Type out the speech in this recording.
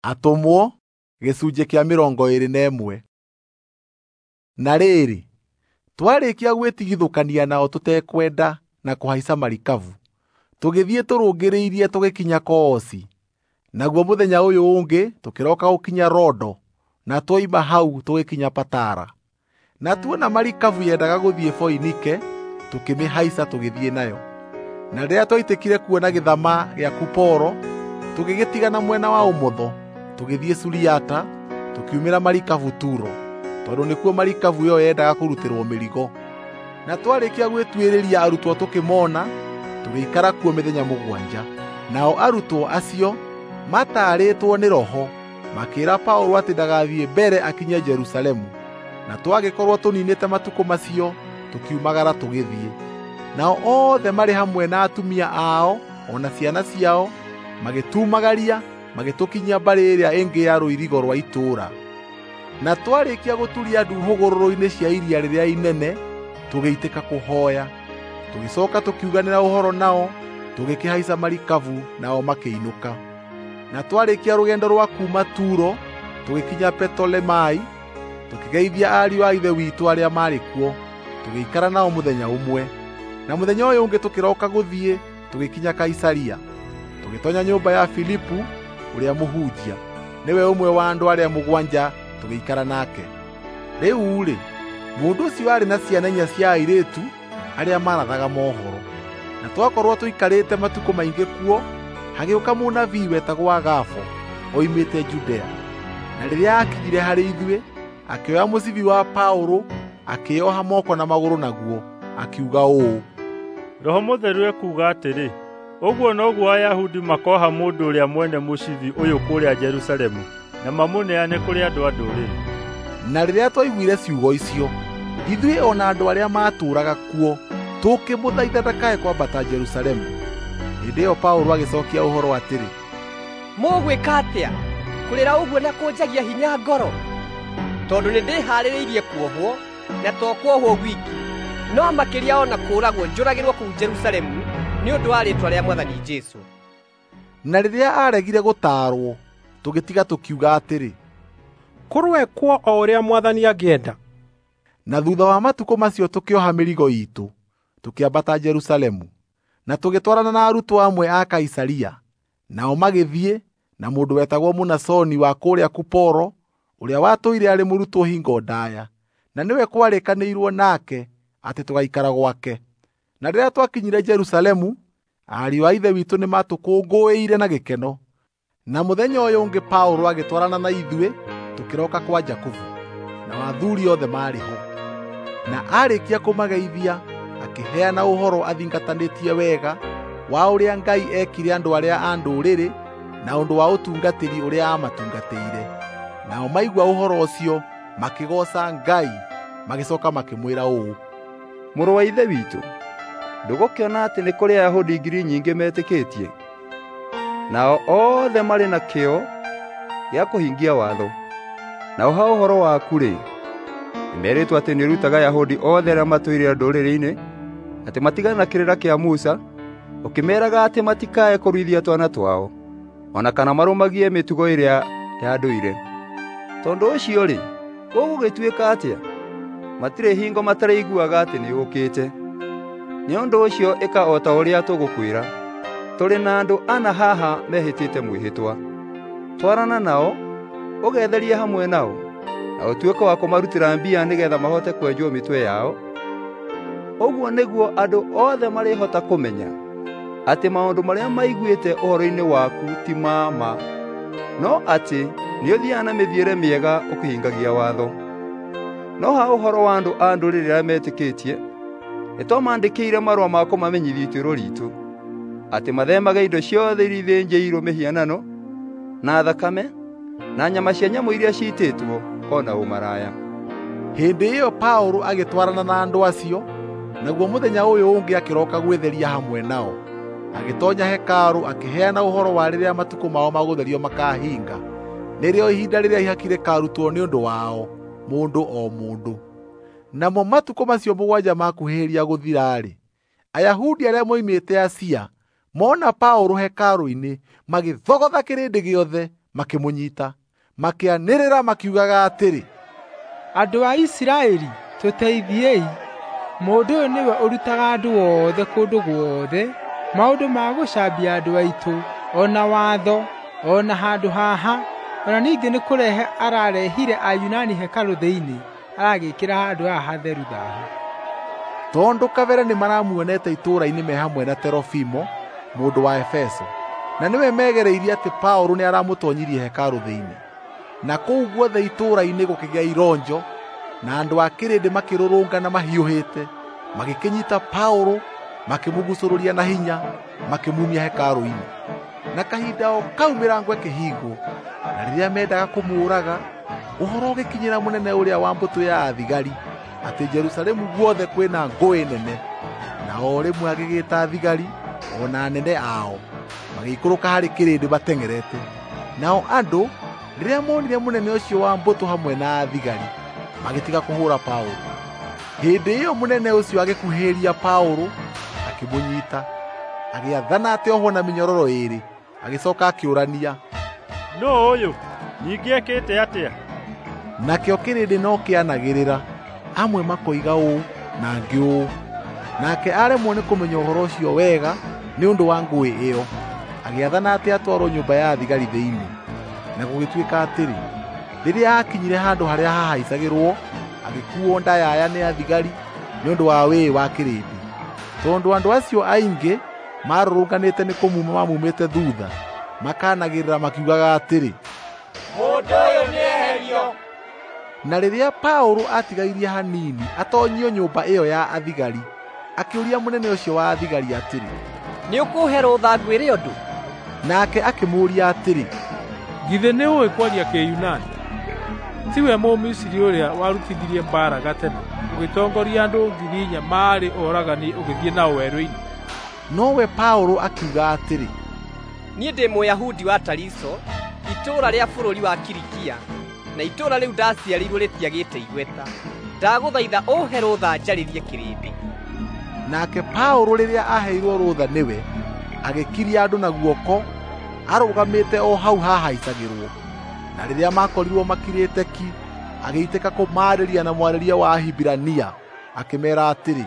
Atũmwo gĩcunjĩ kĩa 21. Na rĩrĩ, twarĩkia gwĩtigithũkania nao tũtekwenda na kũhaica marikabu, tũgĩthiĩ tũrũngĩrĩirie tũgĩkinya Koosi. Naguo mũthenya ũyũ ũngĩ tũkĩroka gũkinya Rodo, na twoima hau tũgĩkinya Patara. Na tuona marikabu yendaga gũthiĩ Foinike, tũkĩmĩhaica tũgĩthiĩ nayo. Na rĩrĩa twaitĩkire kuona gĩthama gĩa Kuporo, tũgĩgĩtigana mwena wa ũmotho, tũgĩthiĩ Suriata, tũkiumĩra marikabu Turo, tondũ nĩkuo marikabu ĩyo yendaga kũrutĩrwo mĩrigo. Na twarĩkia gwĩtuĩrĩria arutwo tũkĩmona, tũgĩikara kuo mĩthenya 7. Nao arutwo acio mataarĩtwo nĩ Roho makĩĩra Paũlũ atĩ ndagathiĩ mbere akinye Jerusalemu. Na twagĩkorwo tũninĩte matukũ macio, tũkiumagara tũgĩthiĩ. Nao othe marĩ hamwe na atumia ao o na ciana ciao magĩtumagaria magĩtũkinyia mbarĩ ĩrĩa ĩngĩ ya rũirigo rwa itũũra. Na twarĩkia gũturia ndu hũgũrũrũ-inĩ cia iria rĩrĩa inene, tũgĩitĩka kũhooya. Tũgĩcooka tũkiuganĩra ũhoro nao, tũgĩkĩhaica marikabu nao makĩinũka. Na twarĩkia rũgendo rwa kuuma Turo, tũgĩkinya Petolemai, tũkĩgeithia ariũ a Ithe witũ arĩa maarĩ kuo, tũgĩikara nao mũthenya ũmwe. Na mũthenya ũyũ ũngĩ tũkĩroka gũthiĩ, tũgĩkinya Kaisaria. Tũgĩtoonya nyũmba ya Filipu ũrĩa mũhunjia, nĩwe ũmwe wa andũ arĩa 7, tũgĩikara nake. Rĩu-rĩ, mũndũ ũcio aarĩ na ciana 4 cia airĩtu arĩa marathaga mohoro. Na twakorwo tũikarĩte matukũ maingĩ kuo, hagĩũka mũnabii wetagwo Agabo oimĩte Judea. Na rĩrĩa aakinyire harĩ ithuĩ, akĩoya mũcibi wa Paũlũ, akĩĩoha moko na magũrũ naguo, akiuga ũũ: Roho Mũtheru ekuuga atĩrĩ, ũguo noguo Ayahudi makoha mũndũ ũrĩa mwene mũcibi ũyũ kũrĩa Jerusalemu na mamũneane kũrĩ andũ a ndũrĩrĩ. Na rĩrĩa twaiguire ciugo icio, ithuĩ o na andũ arĩa maatũũraga kuo tũkĩmũthaitha ndakae kwambata Jerusalemu. Hĩndĩ ĩyo Paũlũ agĩcookia ũhoro atĩrĩ, mũgwĩka atĩa kũrĩra ũguo na kũnjagia hinya ngoro? Tondũ nĩndĩharĩrĩirie kuohwo, na to kuohwo gwiki, no makĩria o na kũũragwo njũragĩrwo kũu Jerusalemu nĩ ũndũ wa rĩĩtwa rĩa Mwathani Jesũ. Na rĩrĩa aaregire gũtaarwo, tũgĩtiga tũkiuga atĩrĩ, kũrũekwo o ũrĩa Mwathani angĩenda. Na thutha wa matukũ macio tũkĩoha mĩrigo iitũ, tũkĩambata Jerusalemu, na tũgĩtwarana na arutwo amwe a Kaisaria. Nao magĩthiĩ na mũndũ wetagwo Mũnasoni wa kũrĩa Kuporo, ũrĩa watũire arĩ mũrutwo hingo ndaaya, na nĩwe kwarĩkanĩirwo nake atĩ tũgaikara gwake. Na rĩrĩa twakinyire Jerusalemu, ariũ a Ithe witũ nĩmatũkũngũĩire na gĩkeno. Na mũthenya ũyũ ũngĩ Paũlũ agĩtwarana na ithuĩ tũkĩroka kwa Jakubu, na athuuri othe maarĩ ho. Na aarĩkia kũmageithia, akĩheana ũhoro athingatanĩtie wega wa ũrĩa Ngai eekire andũ arĩa a ndũrĩrĩ na ũndũ wa ũtungatĩri ũrĩa aamatungatĩire. Nao maigua ũhoro ũcio makĩgooca Ngai, magĩcooka makĩmwĩra ũũ: Mũrũ wa Ithe witũ, ndũgũkĩona atĩ nĩ kũrĩ Ayahudi 0,000 nyingĩ metĩkĩtie, nao othe marĩ na kĩyo gĩa kũhingia watho. Nao ha ũhoro waku-rĩ, nĩmerĩtwo atĩ nĩũrutaga Ayahudi othe arĩa matũire ndũrĩrĩ-inĩ atĩ matigane na kĩrĩra kĩa Musa, ũkĩmeeraga atĩ matikae kũruithia twana twao, o na kana marũmagie mĩtugo ĩrĩa ya ndũire. Tondũ ũcio-rĩ, gũgũgĩtuĩka atĩa? Matirĩ hingo mataraiguaga atĩ nĩũũkĩte. Nĩ ũndũ ũcio ĩka o ta ũrĩa tũgũkwĩra. Tũrĩ na andũ 4 haha mehĩtĩte mwĩhĩtwa. Twarana nao, ũgetherie hamwe nao, na ũtuĩke wa kũmarutĩra mbia nĩgeetha mahote kwenjwo mĩtwe yao. Ũguo nĩguo andũ othe marĩhota kũmenya atĩ maũndũ marĩa maiguĩte ũhoro-inĩ waku ti ma ma, no atĩ nĩũthiaga na mĩthiĩre mĩega ũkĩhingagia watho. No ha ũhoro wa andũ a ndũrĩrĩ arĩa metĩkĩtie, nĩtwamandĩkĩire marũa ma kũmamenyithia ituĩro riitũ, atĩ mathemage indo ciothe iria ithĩnjĩirwo mĩhianano, na thakame, na nyama cia nyamũ iria ciitĩtwo, o na ũmaraya. Hĩndĩ ĩyo Paũlũ agĩtwarana na andũ acio, naguo mũthenya ũyũ ũngĩ akĩroka gwĩtheria hamwe nao. Agĩtoonya hekarũ akĩheana ũhoro wa rĩrĩa matukũ mao ma gũtherio makahinga, nĩrĩo ihinda rĩrĩa ihaki rĩkarutwo nĩ ũndũ wao, mũndũ o mũndũ. Namo matukũ macio 7 makuhĩrĩria gũthira-rĩ, Ayahudi arĩa moimĩte Asia mona Paũlũ hekarũ-inĩ magĩthogotha kĩrĩndĩ gĩothe makĩmũnyita, makĩanĩrĩra makiugaga atĩrĩ, "Andũ a Isiraeli, tũteithiei! Mũndũ ũyũ nĩwe ũrutaga andũ othe kũndũ guothe maũndũ ma gũcambia andũ aitũ, o na watho, o na handũ haha. O na ningĩ nĩ kũrehe ararehire Ayunani hekarũ thĩinĩ, aragĩĩkĩra handũ haha hatheru thaahu." Tondũ kabere nĩmaramuonete itũũra-inĩ me hamwe na Terofimo, mũndũ wa Efeso, na nĩwe megereirie atĩ Paũlũ nĩaramũtoonyirie hekarũ thĩinĩ. Na kũu guothe itũũra-inĩ gũkĩgĩa ironjo, na andũ a kĩrĩndĩ makĩrũrũngana mahiũhĩte, magĩkĩnyiita Paũlũ, makĩmũgucũrũria na hinya, makĩmuumia hekarũ-inĩ. Na kahinda o kau mĩrango ĩkĩhingwo, na rĩrĩa meendaga kũmũũraga, ũhoro ũgĩkinyĩra mũnene ũrĩa wa mbũtũ ya athigari atĩ Jerusalemu guothe kwĩna ngũĩ nene. Na o rĩmwe agĩgĩĩta thigari o na anene ao, magĩikũrũka harĩ kĩrĩndĩ mateng'erete. Nao andũ rĩrĩa moonire mũnene ũcio wa mbũtũ hamwe na athigari, magĩtiga kũhũũra Paũlũ. Hĩndĩ ĩyo mũnene ũcio agĩkuhĩrĩria Paũlũ, akĩmũnyiita, agĩathana atĩ ohwo na mĩnyororo ĩĩrĩ, agĩcooka akĩũrania, "Nũũ ũyũ? Ningĩ ekĩte atĩa?" Nakĩo kĩrĩndĩ no kĩanagĩrĩra, amwe makoiga ũũ na angĩ ũũ. Nake aremwo nĩ kũmenya ũhoro ũcio wega nĩ ũndũ wa ngũĩ ĩyo, agĩathana atĩ atwarwo nyũmba ya thigari thĩinĩ. Na gũgĩtuĩka atĩrĩ, rĩrĩa aakinyire handũ harĩa hahaicagĩrwo, agĩkuuo ndayaya nĩ athigari nĩ ũndũ wa wĩĩ wa kĩrĩndĩ, tondũ andũ acio aingĩ maarũrũnganĩte nĩ kũmuma mamumĩte thuutha, makanagĩrĩra makiugaga atĩrĩ, "Mũndũ ũyũ nĩeherio!" Na rĩrĩa Paũlũ aatigairie hanini atoonyio nyũmba ĩyo ya athigari, akĩũria mũnene ũcio wa athigari atĩrĩ, "Nĩũkũũhe rũtha ngwĩre ũndũ?" Nake akĩmũũria atĩrĩ, "Githĩ nĩũũĩ kwaria Kĩyunani? Tiwe Mũmisiri ũrĩa warutithirie mbaara gatene, ũgĩtongoria andũ 4,000 maarĩ oragani ũgĩthiĩ nao werũ-inĩ?" Nowe Paũlũ akiuga atĩrĩ, "Niĩ ndĩ Mũyahudi wa Tariso, itũũra rĩa bũrũri wa Kilikia, na itũũra rĩu ndaciarĩirwo rĩtiagĩte igweta. Ndagũthaitha ũũhe rũtha njarĩrie kĩrĩndĩ." Nake Paũlũ rĩrĩa aaheirwo rũtha nĩwe, agĩkiria andũ na guoko arũgamĩte o hau hahaicagĩrwo. Na rĩrĩa maakorirwo makirĩte ki, agĩitĩka kũmaarĩria na mwarĩrie wa Ahibirania, akĩmeera atĩrĩ,